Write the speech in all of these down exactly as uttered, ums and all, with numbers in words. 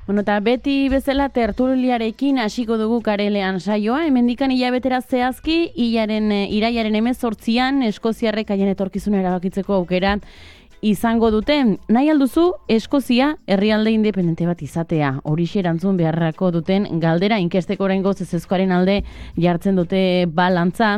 Bueno, eta beti bezala tertuliarekin hasiko dugu karelean saioa. Hemendikan hilabetera zehazki, hilaren, iraiaren hemezortzian Eskoziarrek haien etorkizuna erabakitzeko aukera izango duten. Nahi alduzu, Eskozia herrialde independente bat izatea. Horixe erantzun beharrako duten galdera inkesteko oraingoz ezezkoaren alde jartzen dute balantza.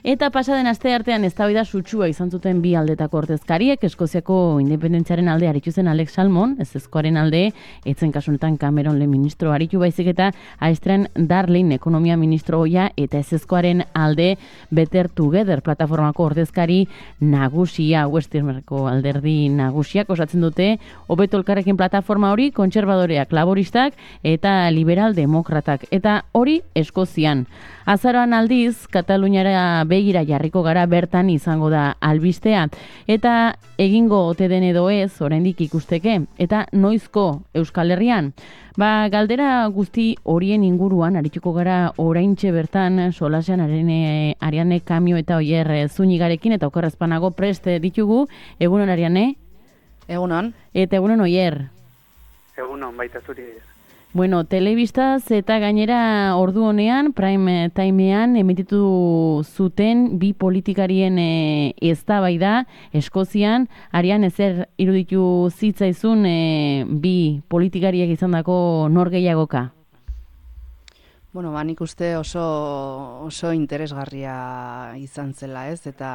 Eta pasaden aste artean eztabaida sutsua izan zuten bi aldetako ordezkariek, Eskoziako independentziaren alde aritu zen Alex Salmond, ezezkoaren alde, etzen kasunetan Cameron lehen ministro aritu baizik eta Aistren Darling ekonomia ministro oia eta ezezkoaren alde Better Together plataformako ordezkari nagusia, Westermarko alderdi nagusiak osatzen dute, hobeto elkarrekin plataforma hori kontserbadoreak, laboristak eta liberal demokratak, eta hori Eskozian. Azaroan aldiz, Kataluniara begira jarriko gara bertan izango da albistea, eta egingo ote den edo ez, oraindik ikusteke, eta noizko Euskal Herrian. Ba, galdera guzti horien inguruan, arituko gara oraintxe bertan, solasean arene, Ariane Kamio eta Oier Zunigarekin, eta okerrezpanago prest ditugu, egunon Ariane? Egunon. Eta egunon Oier? Egunon, baita zuri. Bueno, telebistaz eta gainera ordu honean, prime timean, emititu zuten bi politikarien e, eztabaida Eskozian. Arian, ezer iruditu zitzaizun e, bi politikariek izandako nor gehiagoka? Bueno, ba, nik uste oso, oso interesgarria izan zela, ez? Eta,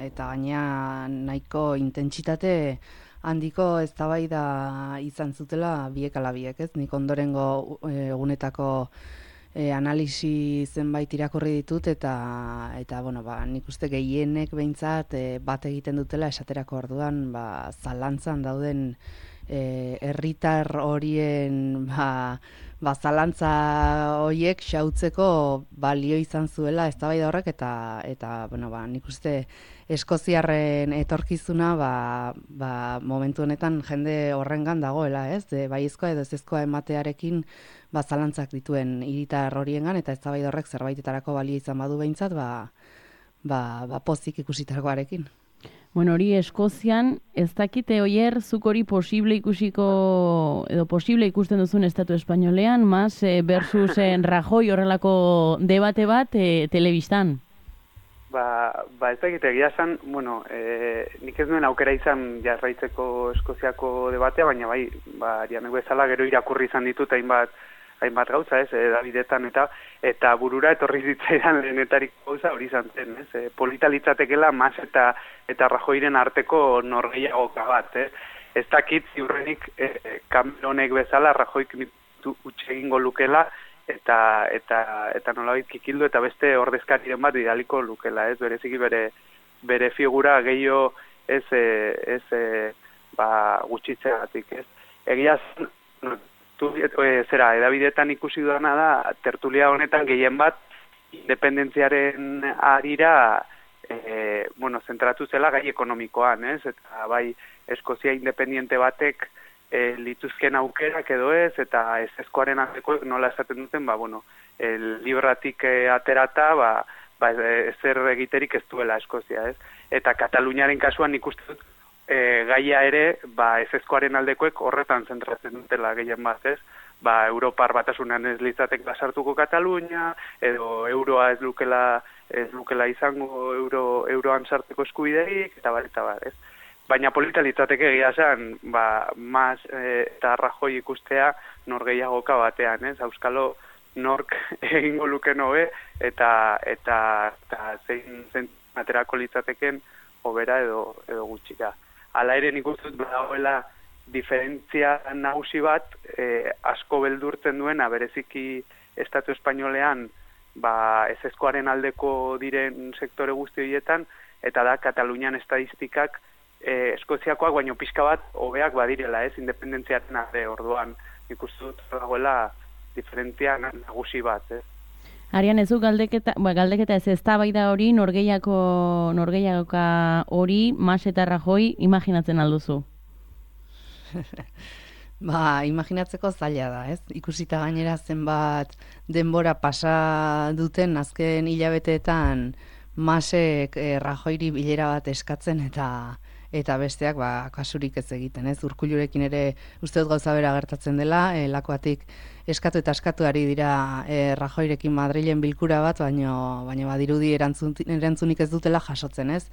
eta gaina nahiko intentsitate handiko eztabaida izan zutela biek ala biek, ez? Nik ondorengo egunetako e, analisi zenbait irakurri ditut eta eta bueno, ba, nik uste gehienek behintzat e, bat egiten dutela esaterako orduan, ba, zalantzan dauden e, herritar horien ba, ba, zalantza horiek xautzeko balio izan zuela eztabaida horrek eta eta bueno, ba, nik uste Eskoziarren etorkizuna ba, ba, momentu honetan jende horrengan dagoela, ez? De, baiezkoa edo ezezkoa ematearekin ba, zalantzak dituen hiritar horiengan eta eztabaida horrek zerbaitetarako balio izan badu behintzat, ba, ba, ba pozik ikusitakoarekin. Bueno, hori Eskozian, ez dakite Oier, zuk hori posible ikusiko, edo posible ikusten duzun estatu espainolean, Mas versus Rajoy horrelako debate bat e, telebistan? Ba, ba ez dakite, egia esan, bueno, e, nik ez duen aukera izan jarraitzeko Eskoziako debatea, baina bai, ba, Arianek bezala gero irakurri izan ditut hainbat, hainbat gauza, ez, e, Davidetan eta eta burura etorri zitzaidan lehenetarik gauza hori izan zen, ez, e, polita litzatekela Mas eta eta Rajoyren arteko norgehiagoka bat, ez, ez dakit ziurrenik e, Cameronek bezala Rajoyk utxe egingo lukela, eta eta eta nolabait kikildu eta beste ordezkariren bat bidaliko lukela, ez, bereziki bere bere figura gehiago ez ez ba gutxitzeagatik, ez. Egia zen, tu e, zera edabidetan ikusi dudana da tertulia honetan gehien bat independentziaren arira e, bueno, zentratu zela gai ekonomikoan, ez, eta bai Eskozia independiente batek E, lituzken aukerak edo ez, eta ezezkoaren aldeko nola esaten duten, ba, bueno, el libratik e, aterata, ba, ba, ezer egiterik ez duela Eskozia, ez? Eta Kataluniaren kasuan ikusten dut, e, gaia ere, ba, ezezkoaren aldekoek horretan zentratzen dutela gehien bat, ez? Ba, Europar batasunean ez litzatek basartuko Katalunia, edo euroa ez lukela, ez lukela izango euro, euroan sarteko eskubiderik, eta bar, eta bar, ez? Baina polita litzateke egia zen, ba, Mas e, eta Rajoy ikustea nor gehiagoka batean, ez? Auskalo nork egingo luken hobe eta eta eta zein zen aterako litzateken hobera edo edo gutxika. Hala ere nik uste dut badagoela diferentzia nagusi bat e, asko beldurtzen duena bereziki estatu espainolean, ba, ezezkoaren aldeko diren sektore guzti horietan, eta da Katalunian estadistikak E, Eskoziakoak baino pixka bat hobeak badirela, ez, independentziaren alde orduan ikustu dut dagoela diferentzia nagusi bat, ez. Arian, ez du galdeketa, ba, galdeketa ez eztabaida hori, norgeiako norgeiagoka hori, Mas eta Rajoy, imaginatzen alduzu? Ba, imaginatzeko zaila da, ez? Ikusita gainera zenbat denbora pasa duten azken hilabeteetan Masek eh, Rajoyri bilera bat eskatzen eta eta besteak ba, kasurik ez egiten, ez? Urkullurekin ere uste dut gauza bera gertatzen dela, e, lakoatik eskatu eta eskatu ari dira e, Rajoyrekin Madrilen bilkura bat, baino, baino badirudi erantzun, erantzunik ez dutela jasotzen, ez?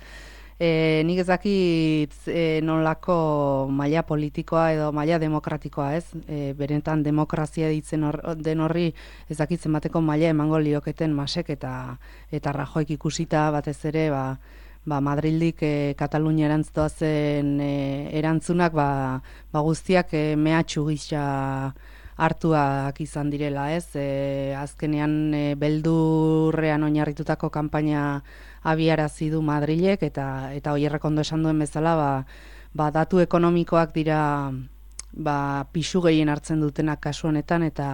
E, nik ez dakit e, nolako maila politikoa edo maila demokratikoa, ez? E, beretan demokrazia ditzen hor, den horri ez dakit zenbateko maila emango lioketen Masek eta eta Rajoyk ikusita batez ere, ba, ba Madrildik e, Katalunia erantzua zen e, erantzunak ba, ba guztiak e, mehatxu gisa hartuak izan direla, ez? E, azkenean e, beldurrean oinarritutako kanpaina abiarazi du Madrilek eta eta Oierrek ondo esan duen bezala, ba, ba datu ekonomikoak dira ba pisu gehien hartzen dutenak kasu honetan eta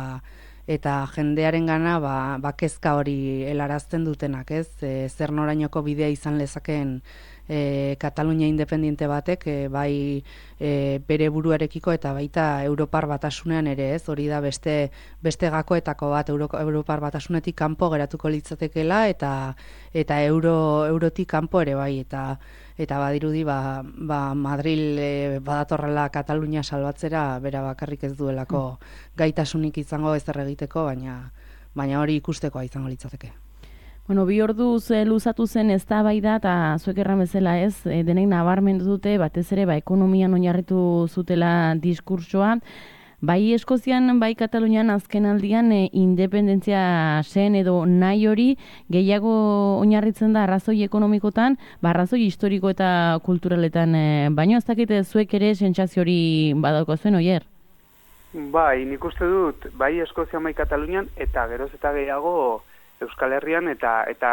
eta jendearengana ba, ba kezka hori helarazten dutenak, ez? E, zer norainoko bidea izan lezakeen e, Katalunia independiente batek e, bai e, bere buruarekiko eta baita Europar Batasunean ere, ez? Hori da beste beste gakoetako bat Euro, Europar Batasunetik kanpo geratuko litzatekeela eta eta euro eurotik kanpo ere bai eta eta badirudi ba, ba Madril e, badatorrela Katalunia salbatzera bera bakarrik ez duelako gaitasunik izango ezer egiteko, baina baina hori ikustekoa izango litzateke. Bueno, bi orduz e, luzatu zen eztabaida eta zuek erran bezala, ez? E, denek nabarmendu dute batez ere ba ekonomian oinarritu zutela diskurtsoa. Bai Eskozian, bai Katalunian azken aldian e, independentzia zen edo nahi hori gehiago oinarritzen da arrazoi ekonomikotan, ba arrazoi historiko eta kulturaletan, e, baino ez dakite zuek ere sentsazio hori badauko zuen, Oier? Bai, nik uste dut, bai Eskozian, bai Katalunian, eta geroz eta gehiago Euskal Herrian eta eta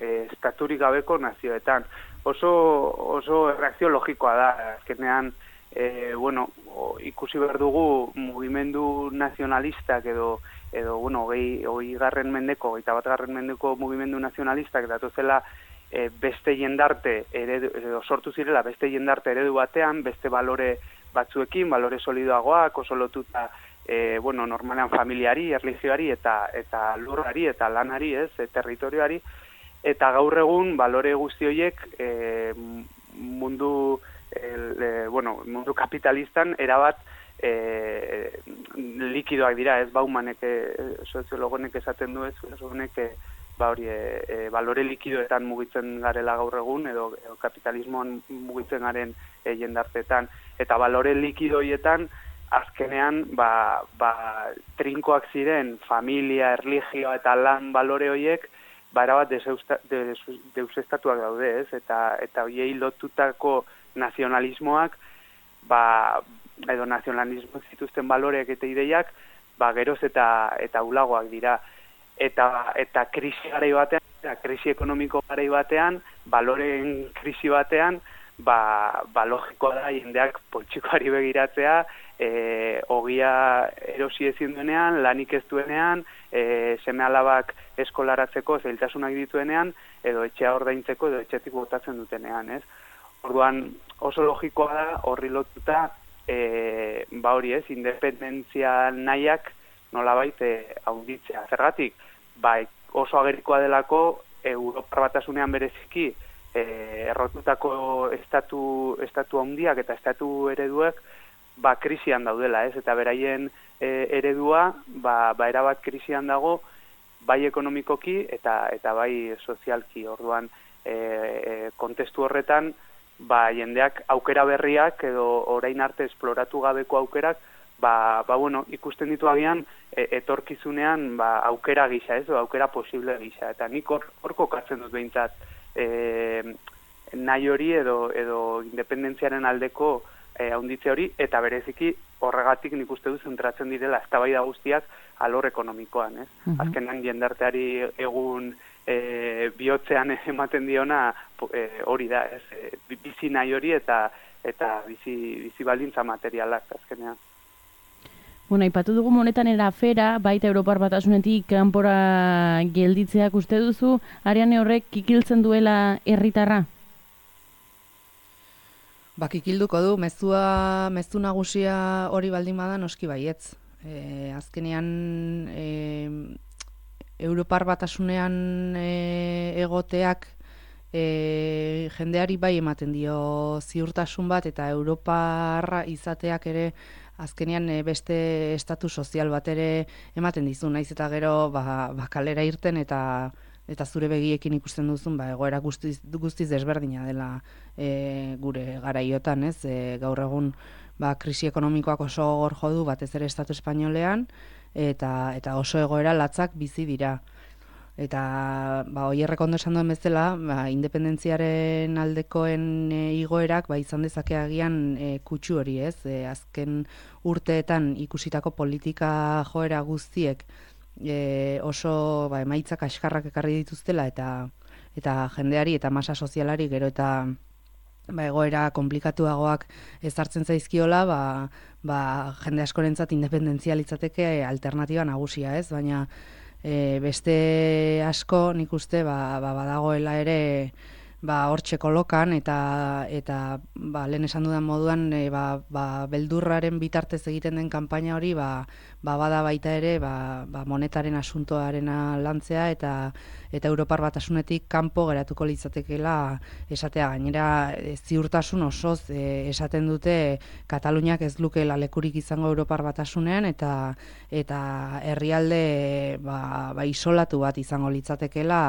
e, estaturik gabeko nazioetan. Oso, oso reakzio logikoa da, azkenean, E, bueno, o, ikusi behar dugu mugimendu nazionalistak edo, edo bueno, gehi, hoi garren mendeko, eta bat garren mendeko mugimendu nazionalistak datozela e, beste jendarte eredu, edo sortu zirela beste jendarte eredu batean, beste balore batzuekin, balore solidoagoak, oso lotuta e, bueno, normalean familiari, erlijioari eta, eta lurrari eta lanari, ez, e, territorioari, eta gaur egun balore guzti horiek e, mundu El, e, bueno, mundu kapitalistan erabat e, likidoak dira, ez Baumanek e, soziologonek esaten du ez, honek e, ba hori e, e, balore likidoetan mugitzen garela gaur egun edo, edo kapitalismoan mugitzen garen e, jendartetan eta balore likidoietan azkenean ba, ba, trinkoak ziren familia, erlijioa eta lan balore horiek ba erabat deusestatuak daude, ez? Eta eta hoiei lotutako nazionalismoak, ba, edo nazionalismo zituzten baloreak eta ideiak, ba, geroz eta eta ulagoak dira. Eta, eta krisi garai batean, eta krisi ekonomiko garai batean, baloreen krisi batean, ba, ba logikoa da jendeak poltsikoari begiratzea, e, ogia erosi ezin duenean, lanik ez duenean, e, seme alabak eskolaratzeko zailtasunak dituenean, edo etxea ordaintzeko, edo etxetik botatzen dutenean, ez? Orduan oso logikoa da horri lotuta e, ba hori ez, independentzia nahiak nolabait e, haunditzea. Zergatik, ba, oso agerikoa delako Europar Batasunean bereziki e, errotutako estatu, estatu handiak eta estatu ereduek ba, krisian daudela, ez? Eta beraien e, eredua ba, ba erabat krisian dago bai ekonomikoki eta, eta bai sozialki. Orduan e, e, kontestu horretan ba jendeak aukera berriak edo orain arte esploratu gabeko aukerak ba, ba bueno, ikusten ditu agian e, etorkizunean ba aukera gisa, ez, o aukera posible gisa eta nik hor hor kokatzen dut behintzat e, nahi hori edo edo independentziaren aldeko e, haunditze hori eta bereziki horregatik nik uste dut zentratzen direla eztabaida guztiak alor ekonomikoan, ez? Uh-huh. Azkenan jendarteari egun E, bihotzean ematen diona e, hori da, ez, e, bizi nahi hori eta eta bizi, bizi baldintza materialak azkenean. Bueno, aipatu dugu honetan era afera, baita Europar Batasunetik kanpora gelditzeak uste duzu, Ariane horrek kikiltzen duela herritarra? Ba, kikilduko du, mezua, mezu nagusia hori baldin bada noski baietz. E, azkenean e, Europar Batasunean e, egoteak e, jendeari bai ematen dio ziurtasun bat, eta Europarra izateak ere azkenean beste estatu sozial bat ere ematen dizu, naiz eta gero ba, ba kalera irten eta eta zure begiekin ikusten duzun ba, egoera guztiz, guztiz desberdina dela e, gure garaiotan, ez? E, gaur egun ba, krisi ekonomikoak oso gogor jo du batez ere estatu espainolean, eta, eta oso egoera latzak bizi dira. Eta ba, oierrek ondo esan duen bezala, ba, independentziaren aldekoen e, igoerak ba, izan dezake agian e, kutsu hori, ez? E, azken urteetan ikusitako politika joera guztiek e, oso ba, emaitzak askarrak ekarri dituztela, eta eta jendeari eta masa sozialari gero eta ba, egoera komplikatuagoak ezartzen zaizkiola, ba, ba, jende askorentzat independentzia litzateke alternatiba nagusia, ez? Baina e, beste asko nik uste ba, ba, badagoela ere ba, hortxe kolokan, eta, eta ba, lehen esan dudan moduan e, ba, ba, beldurraren bitartez egiten den kanpaina hori ba, ba, bada baita ere ba, ba, monetaren asuntoarena lantzea, eta eta Europar Batasunetik kanpo geratuko litzatekeela esatea. Gainera e, ziurtasun osoz e, esaten dute Kataluniak ez lukeela lekurik izango Europar Batasunean, eta eta herrialde ba, ba, isolatu bat izango litzatekeela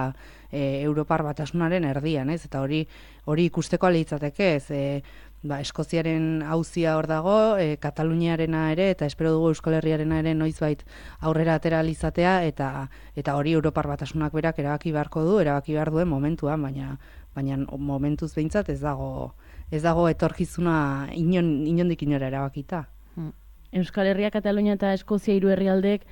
e, Europar Batasunaren erdian, ez? Eta hori hori ikusteko litzateke, ez? E, ba, Eskoziaren auzia hor dago, e, Kataluniarena ere, eta espero dugu Euskal Herriarena ere noizbait aurrera atera alizatea, eta eta hori Europar Batasunak berak erabaki beharko du, erabaki behar duen momentuan, baina baina momentuz behintzat ez dago ez dago etorkizuna inon, inondik inora erabakita. Euskal Herria, Katalunia eta Eskozia hiru herrialdek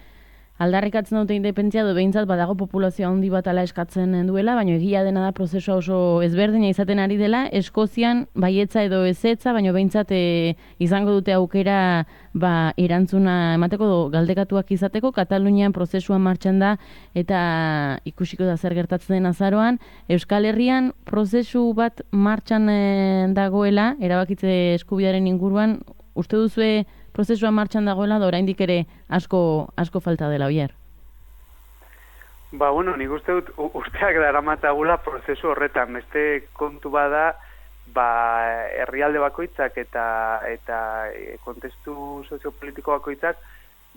aldarrikatzen dute independentzia, edo behintzat badago populazioa handi bat ala eskatzen duela, baina egia dena da prozesua oso ezberdina izaten ari dela. Eskozian baietza edo ezetza, baina behintzat e, izango dute aukera ba, erantzuna emateko do, galdekatuak izateko. Katalunian prozesua martxan da eta ikusiko da zer gertatzen den azaroan. Euskal Herrian prozesu bat martxan e, dagoela, erabakitze eskubidearen inguruan, uste duzue prozesua martxan dagoela, da oraindik ere asko asko falta dela, Oier? Ba, bueno, nik uste dut urteak daramatagula prozesu horretan. Beste kontu bada, ba, herrialde bakoitzak eta eta kontestu soziopolitiko bakoitzak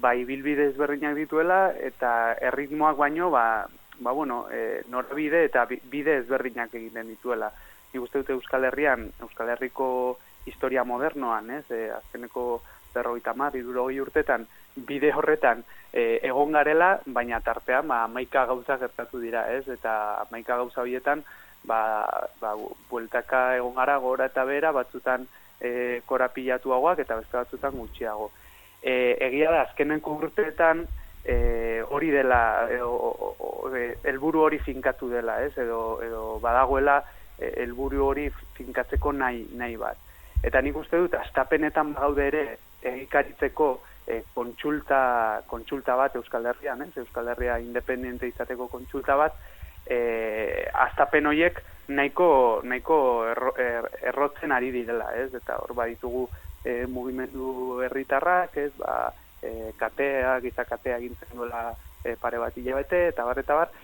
ba, ibilbide ezberdinak dituela, eta erritmoak baino, ba, ba bueno, e, norabide eta bide ezberdinak egiten dituela. Nik uste dut Euskal Herrian, Euskal Herriko historia modernoan, ez? E, azkeneko berrogeita hamar, hirurogei urtetan, bide horretan e, egon garela, baina tartean ba, hamaika gauza gertatu dira, ez? Eta hamaika gauza horietan, ba, ba, bueltaka egon gara gora eta bera, batzutan e, korapilatuagoak eta beste batzutan gutxiago. E, egia da, azkeneko urteetan e, hori dela, helburu hori finkatu dela, ez? Edo, edo badagoela helburu hori finkatzeko nahi, nahi bat. Eta nik uste dut, astapenetan gaude ere, egikaritzeko e, kontsulta, kontsulta bat Euskal Herrian, ez? Euskal Herria independente izateko kontsulta bat, e, astapen horiek nahiko, nahiko erro, er, errotzen ari direla, ez? Eta hor baditugu e, mugimendu herritarrak, ez? Ba, e, katea, gizakatea gintzen duela e, pare bat hilabete, eta bar, eta bar,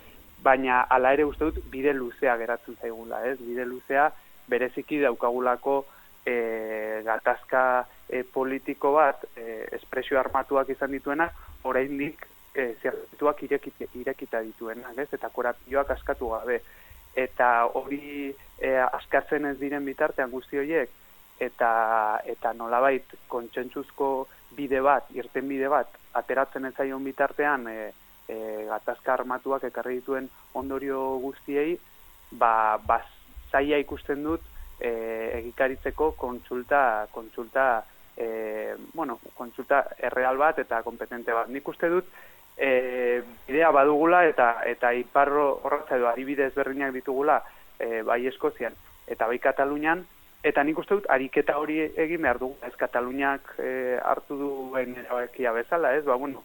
baina hala ere uste dut bide luzea geratzen zaigula, ez? Bide luzea bereziki daukagulako e, gatazka e, politiko bat, e, espresio armatuak izan dituenak, oraindik e, zertuak irekita, irekita dituenak, ez? Eta korapioak askatu gabe. Eta hori e, askatzen ez diren bitartean guzti horiek, eta, eta nolabait kontsentsuzko bide bat, irten bide bat, ateratzen ez zaion bitartean, e, e, gatazka armatuak ekarri dituen ondorio guztiei, ba, ba zaila ikusten dut, e, egikaritzeko kontsulta, kontsulta E, bueno, kontsulta erreal bat eta kompetente bat. Nik uste dut e, bidea badugula eta eta iparro horratza edo adibide ezberdinak ditugula e, bai Eskozian eta bai Katalunian, eta nik uste dut ariketa hori egin behar dugu. Ez Kataluniak e, hartu duen erabakia bezala, ez? Ba, bueno,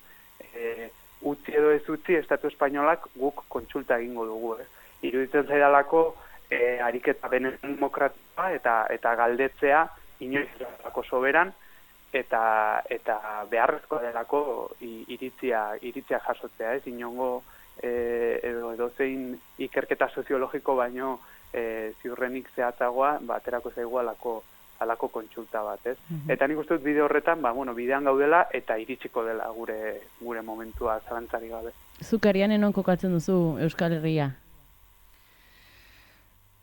e, utzi edo ez utzi Estatu Espainolak guk kontsulta egingo dugu, ez? Iruditzen zaidalako e, ariketa benen demokratikoa eta, eta galdetzea inoiz delako soberan, eta eta beharrezkoa delako iritzia, iritzia jasotzea, ez? Inongo e, edo edozein ikerketa soziologiko baino e, ziurrenik zehatzagoa, ba, aterako zaigu alako, alako kontsulta bat, ez? Mm-hmm. Eta nik uste dut bide horretan, ba, bueno, bidean gaudela eta iritsiko dela gure gure momentua zalantzari gabe. Zukarian enon kokatzen duzu Euskal Herria?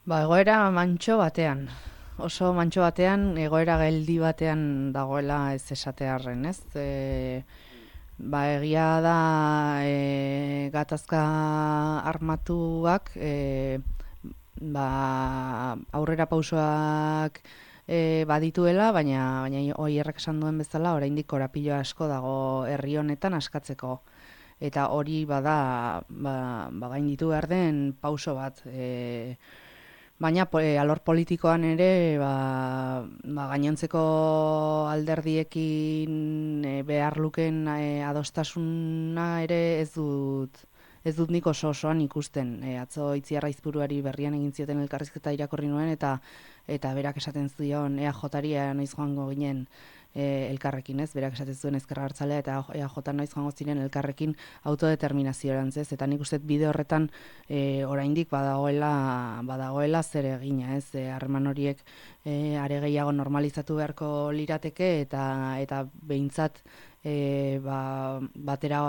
Ba, egoera mantxo batean. Oso mantxo batean, egoera geldi batean dagoela ez esatearren, ez? E, ba, egia da e, gatazka armatuak, e, ba, aurrera pausoak E, badituela, baina baina Oierrek esan duen bezala, oraindik korapilo asko dago herri honetan askatzeko. Eta hori bada, ba, ba gainditu behar den pauso bat. E, baina e, alor politikoan ere, ba, ba gainontzeko alderdiekin e, behar luken e, adostasuna ere ez dut ez dut nik oso osoan ikusten. E, atzo Itziar Aizpuruari berrian egin zioten elkarrizketa irakurri nuen, eta eta berak esaten zion E A J-ari noiz joango ginen e, elkarrekin, ez? Berak esaten zuen Ezker Abertzalea eta E A J noiz joango ziren elkarrekin autodeterminazioarantz, ez? Eta nik uste bide horretan e, oraindik badagoela badagoela zer egina, ez? E, harreman horiek e, are gehiago normalizatu beharko lirateke, eta eta behintzat e, ba, batera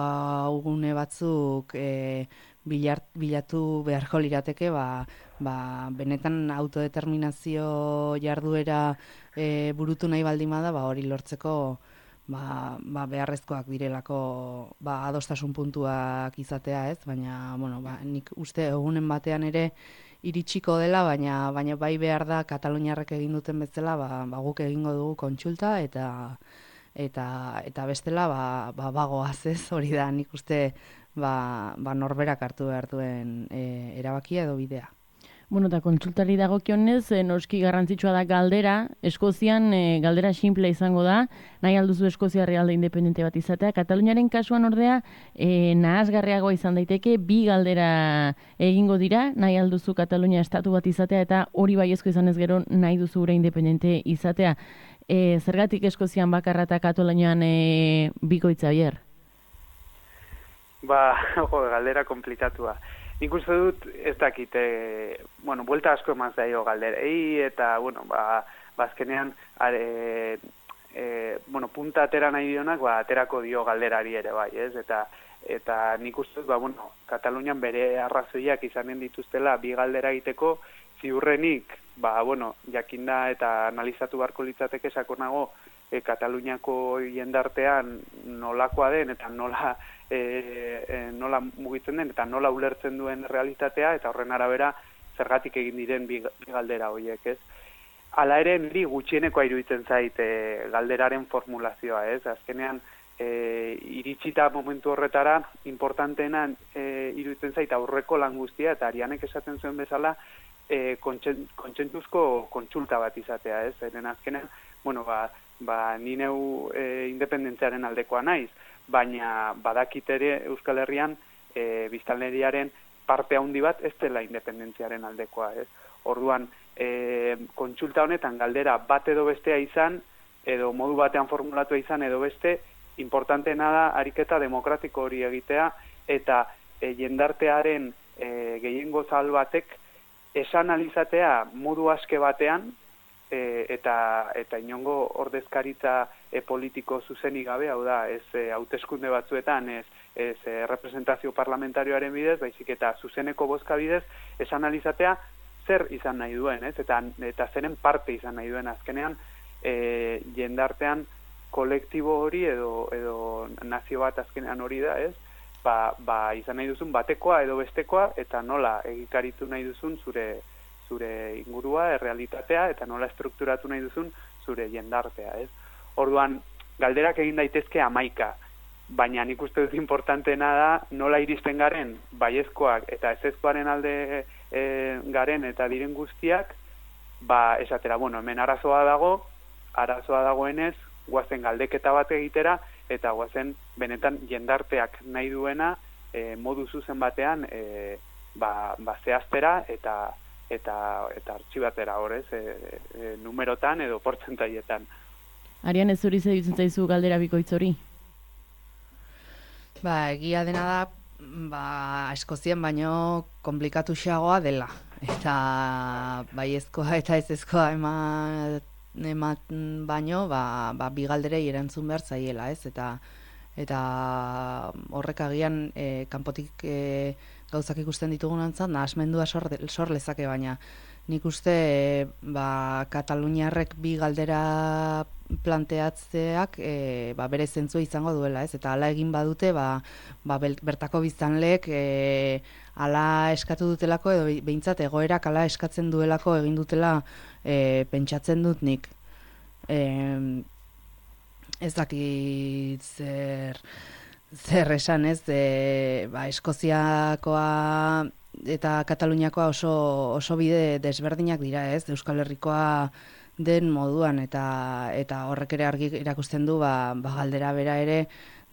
ugune batzuk e, Bilart, bilatu beharko lirateke, ba, ba, benetan autodeterminazio jarduera e, burutu nahi baldin bada, ba, hori lortzeko ba, ba, beharrezkoak direlako ba, adostasun puntuak izatea, ez? Baina, bueno, ba, nik uste egunen batean ere iritsiko dela, baina baina bai behar da Kataluniarrek egin duten bezala, ba, ba, guk egingo dugu kontsulta, eta eta eta bestela ba, ba, bagoaz, ez? Hori da, nik uste Ba, ba norberak hartu behar duen e, erabakia edo bidea. Bueno, eta kontsultari dagokionez, e, noski garrantzitsua da galdera. Eskozian e, galdera simple izango da, nahi alduzu Eskozia herrialde independente bat izatea. Kataluniaren kasuan ordea, e, nahasgarriagoa izan daiteke, bi galdera egingo dira, nahi alduzu Katalunia estatu bat izatea, eta hori baiezko izan ez gero nahi duzu gure independente izatea. E, zergatik Eskozian bakarra eta Katalunian e, bikoitza bier? Ba, jo, galdera komplikatua. Nik uste dut, ez dakite, bueno, buelta asko emaz daio galderei, eta, bueno, ba, bazkenean, are, e, bueno, punta atera nahi dionak, ba, aterako dio galderari ere bai, ez? Eta, eta nik uste dut, ba, bueno, Katalunian bere arrazoiak izanen dituztela bi galdera egiteko, ziurrenik, ba, bueno, jakinda eta analizatu beharko litzateke sakonago, e, Kataluniako jendartean nolakoa den, eta nola, E, e, nola mugitzen den eta nola ulertzen duen realitatea, eta horren arabera zergatik egin diren bi, bi galdera horiek, ez? Hala ere, niri gutxienekoa iruditzen zait e, galderaren formulazioa, ez? Azkenean, e, iritsita momentu horretara, importanteena e, iruditzen zait aurreko lan guztia, eta Arianek esaten zuen bezala, e, kontsentzuzko kontsulta bat izatea, ez? Zeren azkenean, bueno, ba, ba ni neu e, independentziaren aldekoa naiz, baina badakit ere Euskal Herrian e, biztanleriaren parte handi bat ez dela independentziaren aldekoa, ez? Orduan, e, kontsulta honetan galdera bat edo bestea izan, edo modu batean formulatua izan edo beste, importanteena da ariketa demokratiko hori egitea, eta e, jendartearen e, gehiengo zabal batek esan alizatea modu aske batean, e, eta eta inongo ordezkaritza e, politiko zuzenik gabe, hau da, ez e, hauteskunde batzuetan, ez, ez e, representazio parlamentarioaren bidez, baizik eta zuzeneko bozka bidez, esan alizatea zer izan nahi duen, ez? Eta, eta zeren parte izan nahi duen azkenean, e, jendartean kolektibo hori edo, edo nazio bat azkenean hori da, ez? Ba, ba izan nahi duzun batekoa edo bestekoa, eta nola egikaritu nahi duzun zure zure ingurua, errealitatea, eta nola estrukturatu nahi duzun zure jendartea, ez? Orduan, galderak egin daitezke hamaika, baina nik uste dut importanteena da nola iristen garen baiezkoak eta ezezkoaren alde e, garen eta diren guztiak, ba esatera, bueno, hemen arazoa dago, arazoa dagoenez, guazen galdeketa bat egitera, eta guazen benetan jendarteak nahi duena e, modu zuzen batean e, ba, ba zehaztera eta eta eta artxibatera horrez, e, e, numerotan edo portzentaietan. Arian, ez zuri zeditzen zaizu galdera bikoitz hori? Ba, egia dena da, ba, Eskozian baino komplikatu xagoa dela. eta baiezkoa eta ezezkoa eman, eman baino, ba, ba, bi galderei erantzun behar zaiela, ez? Eta eta horrek agian e, kanpotik e, gauzak ikusten ditugunantzat, nahasmendua sor, sor lezake, baina nik uste e, ba, Kataluniarrek bi galdera planteatzeak e, ba, bere zentzua izango duela, ez? Eta hala egin badute, ba, ba, bertako biztanleek e, hala eskatu dutelako, edo behintzat egoerak hala eskatzen duelako egin dutela e, pentsatzen dut nik. E, ez dakit zer, zer esan, ez? E, ba, Eskoziakoa eta Kataluniakoa oso, oso bide desberdinak dira, ez? Euskal Herrikoa den moduan, eta eta horrek ere argi erakusten du ba, ba galdera bera ere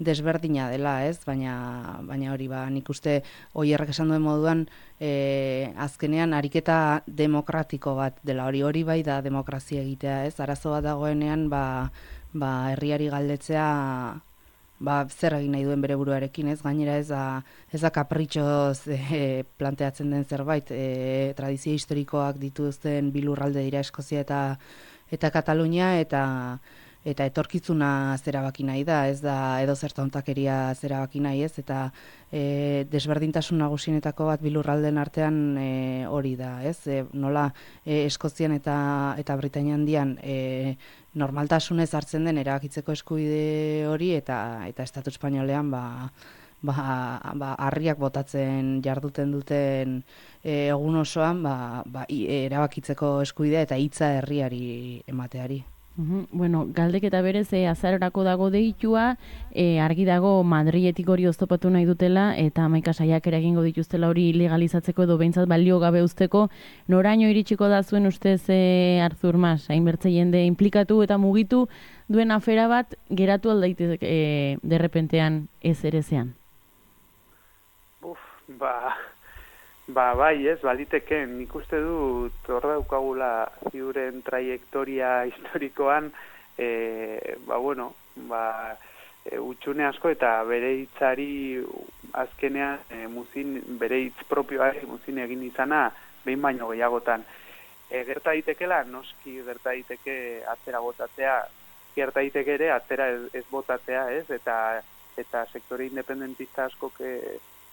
desberdina dela, ez? Baina baina hori ba nik uste Oierrek esan duen moduan e, azkenean ariketa demokratiko bat dela, hori hori bai da demokrazia egitea, ez? Arazo bat dagoenean ba, ba herriari galdetzea ba zer egin nahi duen bere buruarekin, ez? Gainera ez da ez da kapritxoz e, planteatzen den zerbait, e, tradizio historikoak dituzten bi lurralde dira Eskozia eta eta Katalunia, eta eta etorkizuna zerabaki nahi da, ez da edo zer tontakeria zerabaki nahi, ez? Eta e, desberdintasun nagusienetako bat bi lurraldeen artean e, hori da, ez? E, nola e, Eskozian eta eta Britainia Handian e, normaltasunez hartzen den erabakitzeko eskubide hori, eta eta Estatu Espainolean ba ba, ba harriak botatzen jarduten duten e, egun osoan ba, ba erabakitzeko eskubidea eta hitza herriari emateari. Uhum. Bueno, galdeketa berez e, azarorako dago deitua, e, argi dago Madriletik hori oztopatu nahi dutela, eta hamaika saiakera egingo dituztela hori legalizatzeko edo behintzat balio gabe uzteko. Noraino iritsiko da zuen ustez e, Artur Mas, hainbertze jende implikatu eta mugitu duen afera bat geratu aldaitez e, derrepentean ez erezean? Uf, ba... Ba, bai, ez, baliteke, nik uste dut hor daukagula ziuren traiektoria historikoan, e, ba, bueno, ba, e, utxune asko eta bere hitzari azkenean e, muzin, bere hitz propioari muzin egin izana behin baino gehiagotan. E, gerta daitekela, noski gerta daiteke atzera botatzea, gerta daiteke ere atzera ez, ez botatzea, ez, eta, eta sektore independentista askok e,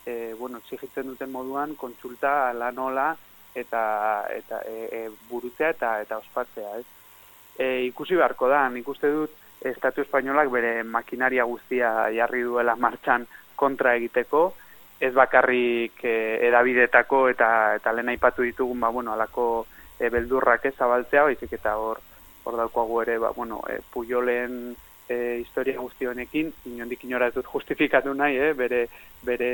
E, bueno, exigitzen duten moduan kontsulta lanola eta eta e, e, burutzea eta eta ospatzea, ez? E, ikusi beharko da, nik uste dut Estatu Espainolak bere makinaria guztia jarri duela martxan kontra egiteko, ez bakarrik e, edabidetako eta eta lehen aipatu ditugun, ba bueno, alako e, beldurrak ez zabaltzea, baizik eta hor hor daukagu ere, ba bueno, e, Pujolen E, historia guzti honekin, inondik inora ez dut justifikatu nahi, eh, bere, bere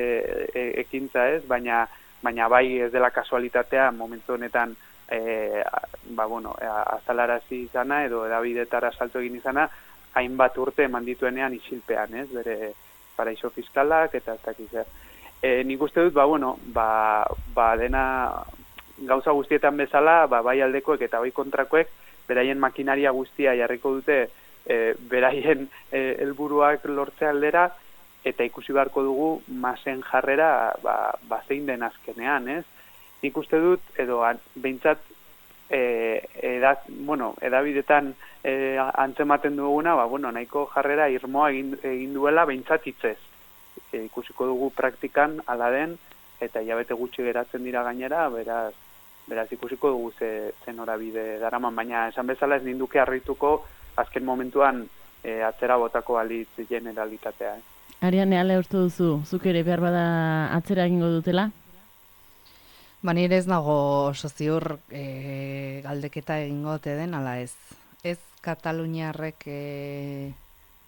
e, ekintza ez, baina, baina bai ez dela kasualitatea momentu honetan e, ba, bueno, azalarazi izana edo edabidetara salto egin izana, hainbat urte eman dituenean isilpean, ez, bere paraiso fiskalak eta ez dakiz zer. E, nik uste dut, ba, bueno, ba, ba dena gauza guztietan bezala, ba, bai aldekoek eta bai kontrakoek, beraien makinaria guztia jarriko dute E, beraien e, helburuak lortze aldera, eta ikusi beharko dugu Masen jarrera ba, ba zein den azkenean, ez? Nik uste dut, edo behintzat e, edaz, bueno, edabidetan e, antzematen duguna, ba, bueno, nahiko jarrera irmoa egin, egin duela behintzat hitzez. E, ikusiko dugu praktikan ala den, eta hilabete gutxi geratzen dira gainera, beraz, beraz ikusiko dugu ze, ze norabide daraman, baina esan bezala ez ninduke harrituko azken momentuan e, atzera botako balitz generalitatea. Eh? Ariane, ale uste duzu, zuk ere behar bada atzera egingo dutela? Ba, nire ez nago oso ziur e, galdeketa egingo ote den, ala ez. Ez Kataluniarrek e,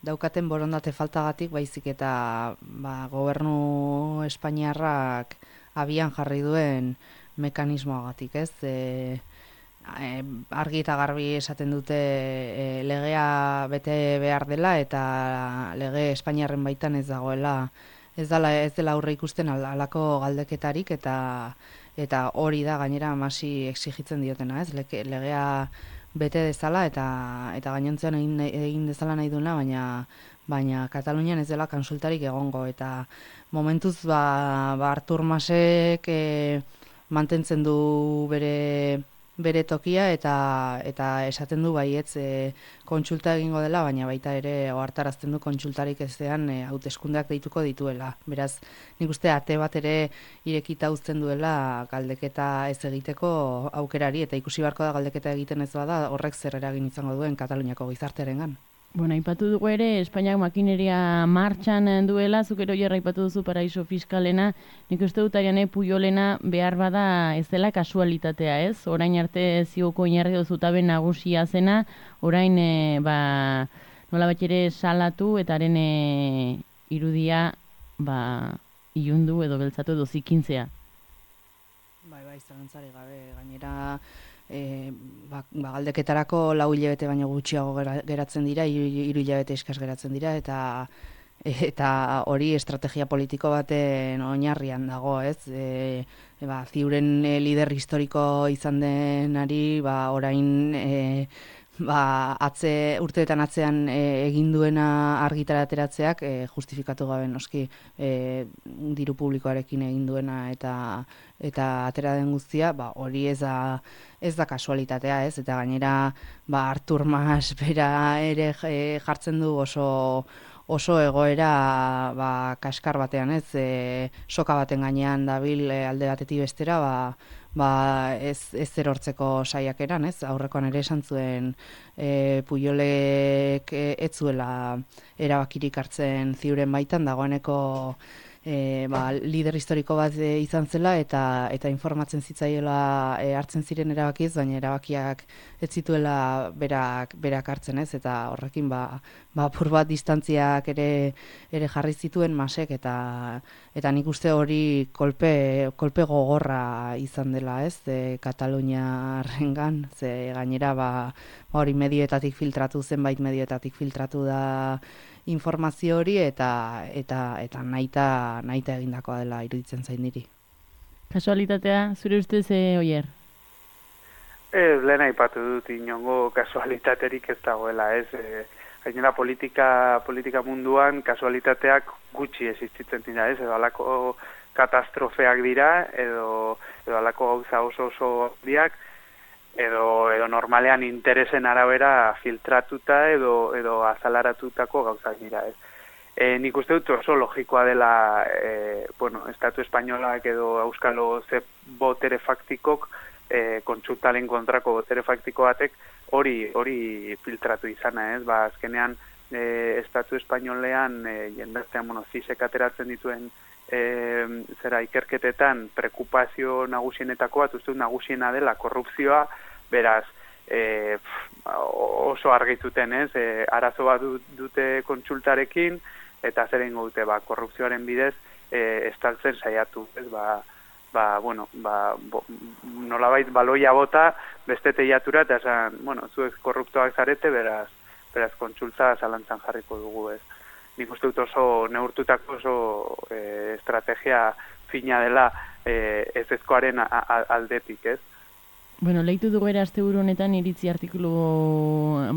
daukaten borondate faltagatik, baizik eta ba, gobernu Espainiarrak abian jarri duen mekanismoagatik, ez? E, E, argi eta garbi esaten dute e, legea bete behar dela eta lege Espainiarren baitan ez dagoela, ez dela ez dela aurre ikusten halako galdeketarik, eta eta hori da gainera Masi exigitzen diotena, ez? Lege, legea bete dezala eta eta gainontzean egin, egin dezala nahi duena, baina baina Katalunian ez dela konsultarik egongo, eta momentuz ba, ba Artur Masek e, mantentzen du bere bere tokia eta eta esaten du baietz e, kontsulta egingo dela, baina baita ere ohartarazten du kontsultarik ezean e, hauteskundeak deituko dituela. Beraz, nik uste ate bat ere irekita uzten duela galdeketa ez egiteko aukerari, eta ikusi beharko da galdeketa egiten ez bada horrek zer eragin izango duen Kataluniako gizartearengan. Bueno, aipatu dugu ere, Espainiak makineria martxan duela, zuk ero jarra aipatu duzu paraiso fiskalena, nik uste dut Ariane Pujolena behar bada ez dela kasualitatea, ez? Orain arte zioko inarri dozutabe nagusia zena, orain e, ba, nola bat ere salatu eta haren e, irudia ba, ilundu edo beltzatu edo zikintzea. Bai, bai, zalantzari gabe, gainera E, ba, ba, galdeketarako lau hilabete baino gutxiago geratzen dira, hiru hilabete eskas geratzen dira, eta eta hori estrategia politiko baten oinarrian dago, ez? E, e, ba, ziuren e, lider historiko izan denari, ba, orain e, ba, atze, urteetan atzean e, egin duena argitara ateratzeak e, justifikatu gabe noski e, diru publikoarekin egin duena eta eta atera den guztia, ba, hori ez da, ez da kasualitatea, ez? Eta gainera ba, Artur Mas bera ere e, jartzen du oso oso egoera ba, kaskar batean, ez? E, soka baten gainean dabil e, alde batetik bestera, ba, ba, ez, ez erortzeko saiakeran, ez? Aurrekoan ere esan zuen e, Pujolek e, ez zuela erabakirik hartzen ziuren baitan, dagoeneko E, ba, lider historiko bat e, izan zela eta eta informatzen zitzaiela e, hartzen ziren erabakiz, baina erabakiak ez zituela berak berak hartzen, ez? Eta horrekin ba ba apur bat distantziak ere ere jarri zituen Masek, eta eta nik uste hori kolpe kolpe gogorra izan dela, ez? E, Kataluniarrengan, ze gainera ba, ba hori medioetatik filtratu, zenbait medioetatik filtratu da informazio hori eta eta eta naita naita egindakoa dela iruditzen zain niri. Kasualitatea zure ustez e, Oier? Ez, lehen aipatu dut inongo kasualitaterik ez dagoela, ez? E, gainera politika politika munduan kasualitateak gutxi existitzen dira, ez? Edo halako katastrofeak dira edo edo halako gauza oso oso handiak, edo edo normalean interesen arabera filtratuta edo edo azalaratutako gauzak dira, ez. E, nik uste dut oso logikoa dela, e, bueno, Estatu Espainolak edo Euskalo ze botere faktikok, e, kontsultaren kontrako botere faktiko batek hori hori filtratu izana, ez. Ba, azkenean e, Estatu Espainolean e, jendartean, bueno, zisek ateratzen dituen E, zera ikerketetan preokupazio nagusienetako bat, uste dut nagusiena dela korrupzioa, beraz e, oso argituten, ez, e, arazo bat dute kontsultarekin, eta zer egingo dute, ba, korrupzioaren bidez e, estaltzen saiatu, ez, ba, ba, bueno, ba, bo, nolabait baloia bota beste teiatura, eta esan, bueno, zuek korruptoak zarete, beraz, beraz kontsulta zalantzan jarriko dugu, ez. Nik uste dut oso neurtutako oso e, estrategia fina dela e, ez ezkoaren aldetik, ez? Bueno, leitu dugu ere asteburu honetan iritzi artikulu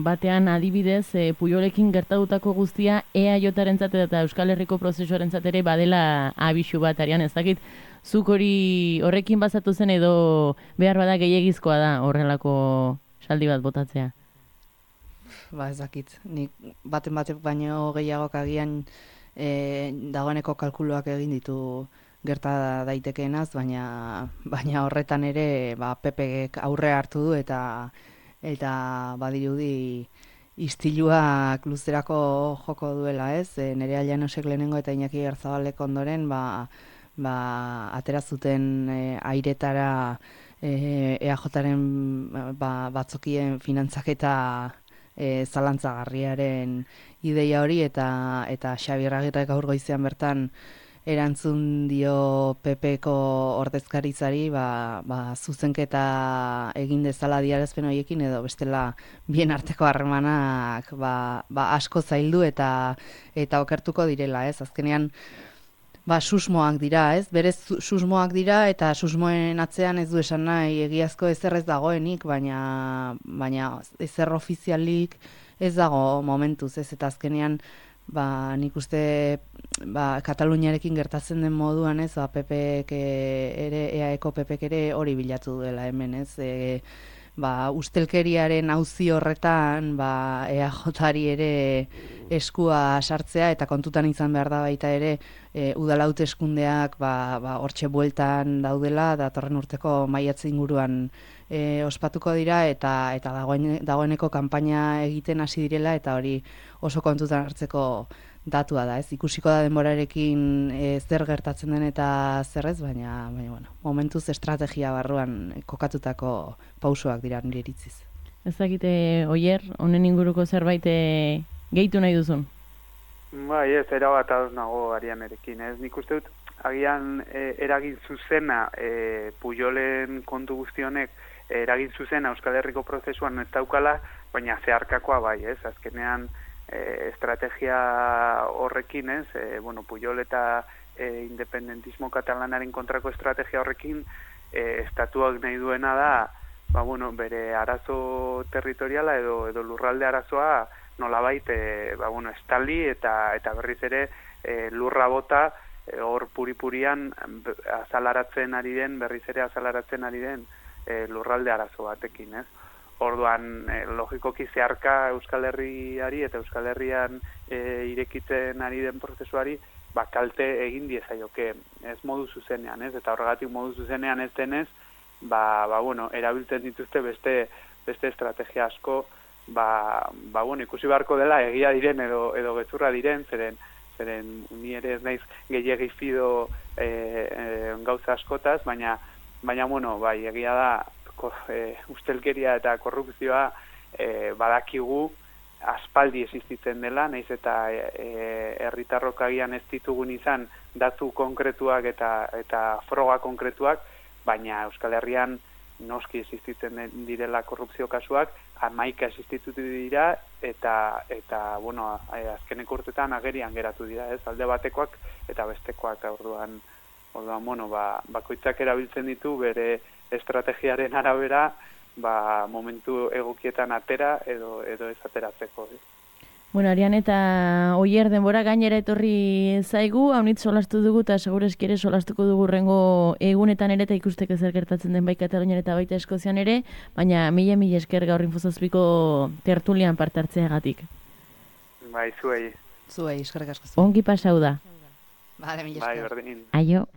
batean adibidez, e, Pujolekin gertatutako guztia E A J-arentzat eta Euskal Herriko prozesuarentzat ere badela abisu bat, Arian, ez dakit, zuk hori horrekin bazatu zen edo behar bada gehiegizkoa da horrelako saldi bat botatzea? Ba, ez dakit. Nik baten batek baino gehiagok agian e, dagoeneko kalkuluak egin ditu gerta daitekeenaz, baina baina horretan ere ba, P Pek aurre hartu du eta eta badirudi istiluak luzerako joko duela, ez? E, Nerea Llanosek lehenengo eta Iñaki Garzabalek ondoren ba, ba, atera zuten e, airetara e, E A Jaren ba, batzokien finantzaketa E, zalantzagarriaren ideia hori, eta eta Xabier Agirrek gaur goizean bertan erantzun dio P Pko ordezkaritzari ba, ba, zuzenketa egin dezala adierazpen horiekin, edo bestela bien arteko harremanak ba, ba asko zaildu eta eta okertuko direla, ez? Azkenean ba, susmoak dira, ez? Berez susmoak dira, eta susmoen atzean ez du esan nahi egiazko ezer ez dagoenik, baina baina ezer ofizialik ez dago momentuz, ez? Eta azkenean ba, nik uste ba, Kataluniarekin gertatzen den moduan, ez, ba, P Pek ere, E A Eko P Pek ere hori bilatu duela hemen, ez, e, ba, ustelkeriaren auzi horretan, ba, E A Jari ere eskua sartzea, eta kontutan izan behar da baita ere, e, udal hauteskundeak ba, ba, hortxe bueltan daudela, datorren urteko maiatze inguruan e, ospatuko dira, eta eta dagoen, dagoeneko kanpaina egiten hasi direla, eta hori oso kontutan hartzeko datua da, ez? Ikusiko da denborarekin e, zer gertatzen den eta zer ez, baina, baina bueno, momentuz estrategia barruan kokatutako pausoak dira nire iritziz. Ez dakite, Oier, honen inguruko zerbait e, gehitu nahi duzun? Bai, ez, erabat ados nago Arianerekin, ez? Nik uste dut, agian e, eragin zuzena e, Pujolen kontu guztionek, e, eragin zuzena Euskal Herriko prozesuan ez daukala, baina zeharkakoa bai, ez? Azkenean, e, estrategia horrekin, ez? E, bueno, Pujol eta e, independentismo katalanaren kontrako estrategia horrekin, e, estatuak nahi duena da, ba, bueno, bere arazo territoriala edo, edo lurralde arazoa nolabait e, ba, bueno, estali eta eta berriz ere e, lurra bota e, hor puri-purian azalaratzen ari den, berriz ere azalaratzen ari den e, lurralde arazo batekin, ez? Orduan, e, logikoki zeharka Euskal Herriari eta Euskal Herrian e, irekitzen ari den prozesuari, ba, kalte egin diezaioke, ez modu zuzenean, ez? Eta horregatik modu zuzenean ez denez, ba, ba bueno, erabiltzen dituzte beste beste estrategia asko, ba, ba bueno, ikusi beharko dela egia diren edo edo gezurra diren, zeren zeren ni ere ez naiz gehiegi fido e, e, gauza askotaz, baina baina bueno, bai, egia da ko, e, ustelkeria eta korrupzioa e, badakigu aspaldi existitzen dela, naiz eta herritarrok e, agian ez ditugun izan datu konkretuak eta eta froga konkretuak, baina Euskal Herrian noski existitzen direla korrupzio kasuak, hamaika existitu dira, eta, eta bueno, azkeneko urtetan agerian geratu dira, ez, alde batekoak eta bestekoak, orduan, orduan, bueno, ba, bakoitzak erabiltzen ditu bere estrategiaren arabera, ba, momentu egokietan atera edo, edo ez ateratzeko, ez. Bueno, Arian eta Oier denbora gainera etorri zaigu, haunitz solastu dugu eta segureski ere solastuko dugu rengo egunetan ere eta ikusteko zer gertatzen den bai Katalunian eta baita Eskozian ere, baina mila mila esker gaur infozazpiko tertulian parte hartzeagatik. Bai, zuei. Zuei, eskerrik asko. Ongi pasau da. Vale, mila esker. Bai, berdin. Aio.